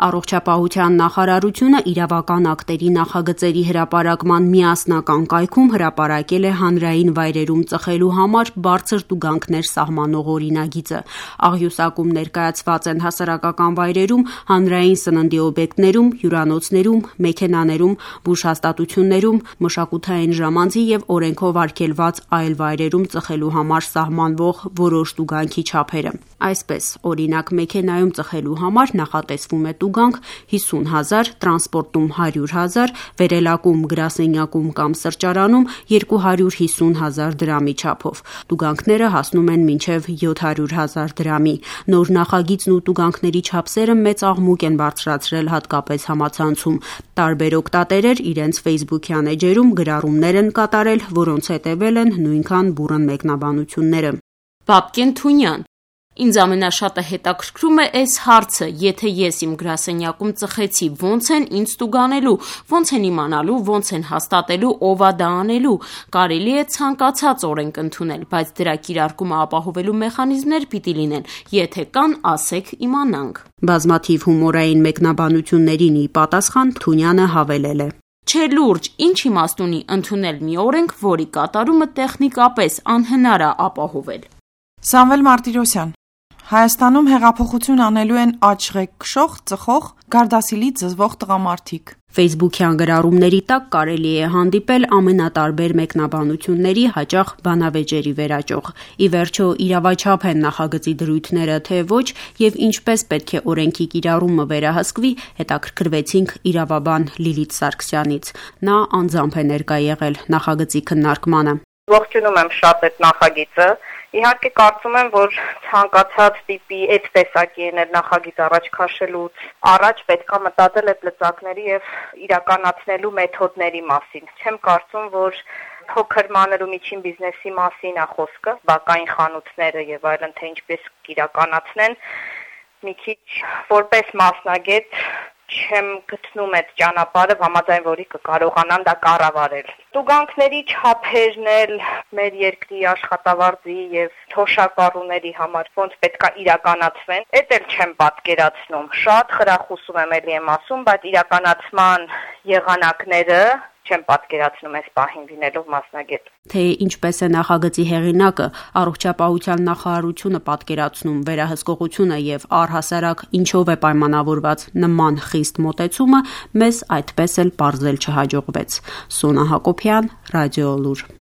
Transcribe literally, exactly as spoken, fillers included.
Առողջապահության նախարարությունը իրավական ակտերի նախագծերի հրապարակման միասնական կայքում հրապարակել է հանրային վայրերում ծխելու համար բարձր տուգանքներ սահմանող օրինագիծը։ Աղյուսակում ներկայացված են հասարակական վայրերում, հանրային սննդի օբյեկտներում, հյուրանոցներում, մեքենաներում, բուժհաստատություններում, մշակութային ժամանցի և օրենքով արգելված այլ վայրերում ծխելու համար սահմանվող որոշ տուգանքի չափերը։ Այսպես, օրինակ, մեքենայում ծխելու համար նախատեսվում է տուգանք հիսուն հազար, տրանսպորտում հարյուր հազար, վերելակում գրասենյակում կամ սրճարանում երկու հարյուր հիսուն հազար դրամի չափով։ Տուգանքները հասնում են մինչև յոթ հարյուր հազար դրամի։ Նոր նախագիծն ու տուգանքների չափսերը մեծ աղմուկ են բարձրացրել հատկապես համացանցում։ Տարբեր օգտատերեր իրենց ֆեյսբուքյան էջերում գրառումներ են կատարել, որոնց հետևել են նույնքան բուռն մեկնաբանությունները։ Բաբկեն Թունյան: Ինձ ամենաշատը հետաքրքրում է այս հարցը, եթե ես իմ գրասենյակում ծխեցի, ոնց են ինձ տուգանելու, ոնց են իմանալու, ոնց են հաստատելու, ով է դա անելու։ Կարելի է ցանկացած օրենք ընդունել, բայց դրա կիրարկումը ապահովելու մեխանիզմներ պիտի լինեն, եթե կան, ասեք, իմանանք։ Բազմաթիվ հումորային մեկնաբանություններին ի պատասխան Թունյանը հավելել է. Չէ լուրջ, ինչ իմաստ ունի ընդունել մի օրենք, որի կատարումը տեխնիկապես անհնար է ապահովել։ Սամվել Մարտիրոսյան: Հայաստանում հեղափոխություն անելու են աչղեք քշող, ծխող, գարդասիլի զզվող տղամարդիկ։ Ֆեյսբուքյան գրառումների տակ կարելի է հանդիպել ամենատարբեր մեկնաբանությունների, հաճախ բանավեճերի վերաճող։ Ի վերջո, իրավաչափ են նախագծի դրույթները, թե ոչ, եւ ինչպես պետք է օրենքի կիրառումը վերահսկվի, հետաքրքրվեցինք իրավաբան Լիլիթ Սարգսյանից։ Նա անձամբ է ներկա եղել նախագծի քննարկմանը։ Ողջունում եմ շատ այդ նախագիծը։ Իհարկե կարծում եմ, որ ցանկացած տիպի այդ տեսակի նախագիծ առաջ քաշելուց առաջ պետք է մտածել այդ լծակների եւ իրականացնելու մեթոդների մասին։ Չեմ կարծում, որ փոքր մանր ու միջին բիզնեսի մասին է խոսքը, բակային խանութները եւ այլն, թե ինչպես իրականացնեն։ Մի քիչ որպես մասնագետ չեմ գտնում այդ ճանապարհը, համաձայն որի կկարողանան դա կառավարել։ Տուգանքների չափերն էլ մեր երկրի աշխատավարձի եւ թոշակառուների համար ոնց պետք է իրականացվեն, այդ էլ չեմ պատկերացնում։ Շատ խրախուսում եմ, էլի եմ ասում, բայց իրականացման եղանակները չեմ պատկերացնում այս պահին լինելով մասնագետ։ Թե ինչպես է նախագծի հեղինակը, առողջապահության նախարարությունը պատկերացնում վերահսկողությունը եւ առհասարակ ինչով է պայմանավորված նման խիստ մոտեցումը, մեզ այդպես էլ պարզել չհաջողվեց։ Սոնա Հակոբյան, Ռադիոլուր։